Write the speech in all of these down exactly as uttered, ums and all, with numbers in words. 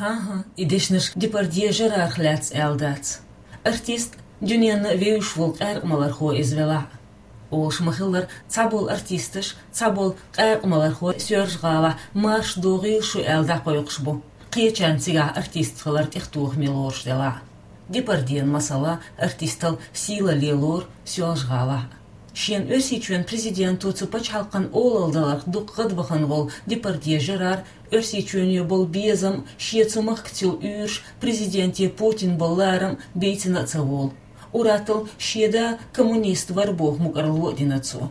Аха, и дешнаш Депардье Жерарах лаьцна аьлла дац. Артист дуьненна вевзаш волу къаьркъа малархо иза велахь а. Олуш ма-хиллара, цхьаболу артисташ, цхьаболу къаьркъа малархо Соьлжа-ГӀалахь марша догӀийла шу аьлла дӀакхойкхуш бу, кхечарна цигахь артист хилар тӀехтохаме лоруш делахь а. Депардьена, масала, артистал сийлалле лору Соьлжа-ГӀалахь а. Шена Оьрсийчоьнан президенто цу пачхьалкхан олалла даларх дукха гӀадбахана волу Депардье Жерар Оьрсийчоьне болу безам, шен цу махкаца йолу уьйраш, президенте Путин болу ларам бийцина а ца волу. Ур-атталла шен да коммунист вара боху мукӀарло а дина цо.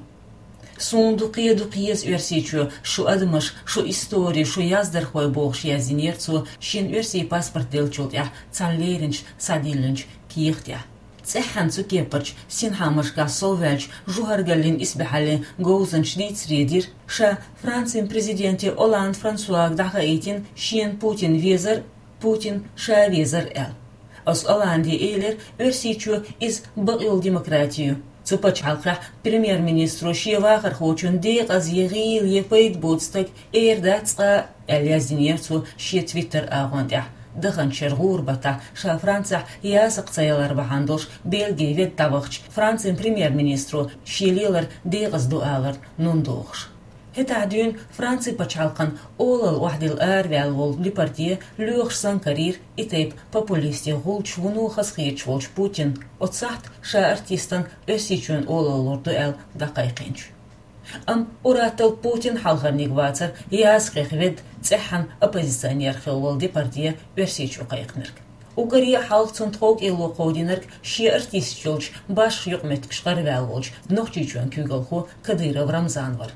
«Суна дукха, дукха еза Оьрсийчоь, шун адамаш, шун истори, шун яздархой», — бохуш яздинера цо шен оьрсийн паспорт деллачул тӀаьхьа цхьана леринчу схьадиллинчу кехатехь. ЦӀеххьана цу кепарчу синхьаамашкахь совваьллачу жухаргаллин исбаьхьаллин говзанчо дийцаре дира, ша Францин президенте Олланд Франсуага дӀахаийтина шена Путин везар, Путин ша везар аьлла. Оцу Олланде элира, Оьрсийчоь иза бакъйолу демократи ю. Цу пачхьалкхехь премьер-министро шен вахархочун декъаза я гӀийла, я пайда боцу стаг эр дац цкъа а, аьлла яздинера цо шен Twitter агӀон тӀехь, даханчу шеран гӀуран баттахь ша Францехь ясакх ца ялар бахьана долуш Бельгин ведда дӀавахча, Францин премьер-министро шен лелар декъаза ду аларна нун дохуш. ХӀетахь дуьйна Францин пачхьалкхан олалла охьадилла араваьлла волу Депардье лоьхуш санна карийра и тайпа популистийн гӀулчаш вуно хазахеташ волчу Путинна, оцу сахьта ша артистана Оьрсийчоьнан олалла лур ду аьлла дӀакхайкхинчу. Амма ур-атталла Путин хьалхарниг вацара ясакхех ведда, цӀеххьана оппозиционер хилла волу Депардье Оьрсийчу кхайкхинарг. Уггаре а хьалха цунна тховкӀело кховдийнарг шен артисташ йолчу башха юкъаметтигашкахь гӀарваьлла волчу Нохчийчоьнан куьйгалхо Кадыров Рамзан вара.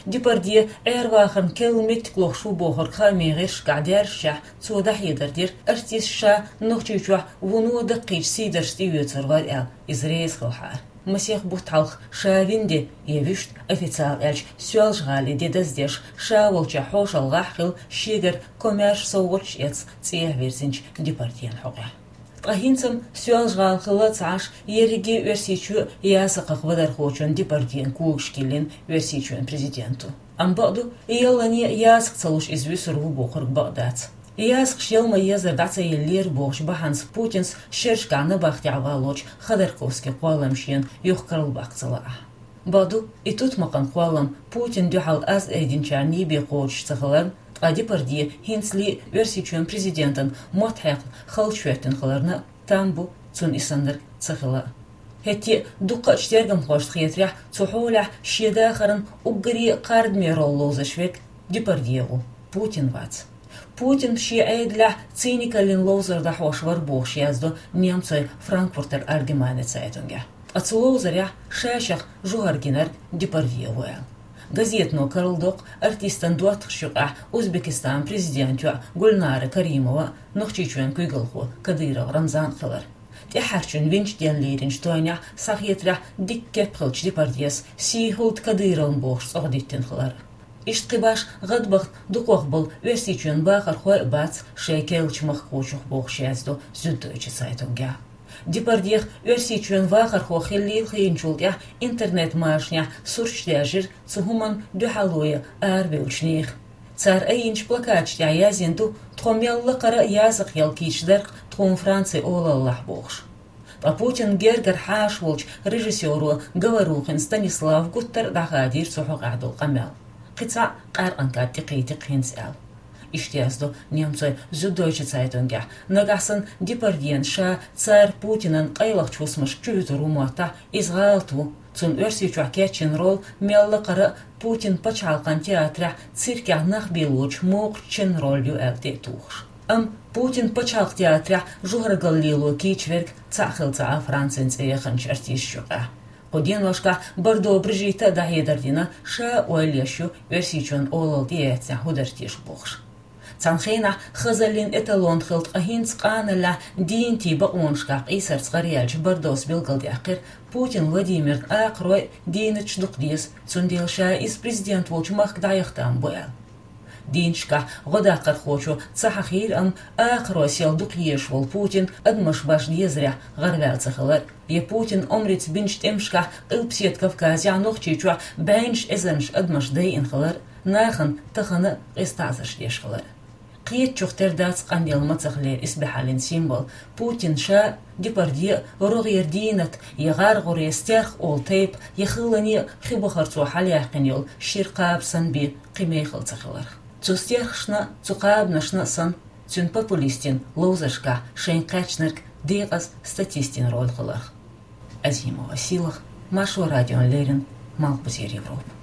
Депардье Ӏер-вахарна керла меттиг лохуш ву бохург хаамийн гӀирсашкахь даьржича, цо дӀахьедар дира, артист ша Нохчийчохь вуно даккхийчу сийдаршца тӀеоьцур вара аьлла, иза реза хилахьара. Масех бутт хьалха ша вина де, я вуьшта, официалан аьлча, Соьлжа-ГӀалин де даздеш, ша волчохь хьошалгӀахь а хилла, шегара комаьрша совгӀаташ а эцна, цӀехьа вирзинчу Депардьена хьокъехь. Ткъа хӀинца-м Соьлжа-ГӀала хилла а ца Ӏаш, ерриге а Оьрсийчоь ясакхах вадархочун Депардьена когаш киллина Оьрсийчоьнан президенто. Амма бакъду, яллане а ясакх ца луш иза вуьсур ву бохург бакъ дац. Ясакхаш яла ма-еззара дӀа ца еллера бохучу бахьанца Путинс шерашкахь набахтехь валлочу Ходорковскийн кхоллам шена юха карладаккха ца лаахь. Бакъду, и тутмакхан кхоллам Путинна дуьхьал аз айдинчарна йибе кхочуш ца хиларна, ткъа Депардье хӀинцале а Оьрсийчоьнан президентан мотт хьекхна халчахӀоьттина хиларна а там бу цунна и саннарг ца хила а. ХӀетте а дуккхачу тергамхошна хетарехь, цу хьолехь шен дахаран уггаре а кхардаме роль ловзош верг Депардье ву, Путин вац. Путин шен Ӏедалехь циникаллин ловзар дӀахьош вара бохуш яздо немцойн Франкфуртер Альгемайне цайтунгехь. Ткъа цу ловзарехь ша-шех жухар гинарг Депардье ву аьлла. Газетано карладоккху артистан доттагӀашна юкъахь Узбекистанан президентан йоӀ Гульнара Каримова а, Нохчийчоьнан куьйгалхо Кадыров Рамзан а хилар. ТӀаьххьарчун винчу денна леринчу тойнехь, схьахетарехь, дикка кеп хиллачу Депардьес «Сий хуьлда Кадыровна» бохуш цӀогӀа диттина хилар. Иштта кхин башха гӀадбахана дукхах болу Оьрсийчоьнан бахархой а бац шайн керлачу махкахочух бохуш яздо Зюддойче цайтунгехь. Депардьех Оьрсийчоьнан вахархо хиллийла хиъначул тӀаьхьа интернет-машанехь сурташ даьржира цу хӀуманна дуьхьало ян аравевллачу нехан. Цара айинчу плакаташ тӀехь яздина ду: «Тхо мел лакхара а ясакх яла кийча дарх тхуна Францин олаллехь», — бохуш. Ткъа Путинан гергара хьаша волчу режиссёро Говорухин Станислава гуттар а дӀахадийра цу хьокъехь долу къамел. Кхин цхьаъ къаьркъанан кад тӀекхийтира хӀинца аьлла. Иштта яздо немцойн Зюддойче цайтунгехь. Нагахь санна Депардьена ша цара Путинан къайлахчу хӀусамашка чувуьтур ву моттахь, иза гӀалат ву. Цунна Оьрсийчохь кечйина роль мел лакхара а Путинан пачхьалкхан театрехь циркехь нах бийлочу мокхачу ченан роль ю аьлла тӀе а тухуш. Амма Путинан пачхьалкхан театрехь жухаргаллин лело кийча верг цхьаъ хилла ца Ӏа Францин цӀе яханчу артисташна юкъахь. Кху деношкахь Бардо Брижитта а дӀахьедар дина, ша а ойла еш ю Оьрсийчоьнан олалла тӀеэцнехь хӀун дара теша бохуш. Цхьана хенахь хазаллин эталон хилла, ткъа хӀинца къаналлехь дийнатийн бакъонашкахь къийсарца гӀараяьллачу Бардос билгалдаьккхира, Путин Владимирна акхарой а, дийнаташ а дукха деза, цундела ша иза президент волчу махка дӀаяхийтар бу аьлла. Дийнаташкахь гӀодаккхархочо ца хьахийра, амма акхарой сел дукха езаш волу Путин адамаш башха дезарехь гӀараваьлла ца хилар, я Путинан омрица бинчу тӀемашкахь Къилбаседа Кавказехь, Нохчийчохь бӀеннаш эзарнаш адамаш дайина хилар, нахана тахана а къиза таӀзарш деш хилар. Кхетачух тера дац къамел мацах лер исбаьхьаллин символ. Путин ша, Депардье, рогӀера дийнат, я гӀаргӀуре стерх олу тайпа, я хилане хи бухарцо хьалаяьккхина йолу шира кхаба санна бен кхин мехала ца хиларх. Цу стерхашна, цу кхабанашна санна, цуьнан популистийн ловзаршкахь шайна кхаьчнарг декъаза статистийн роль хиларх. Азимова Сийлаха, Маршо радиона леррина, Малхбузера Европа.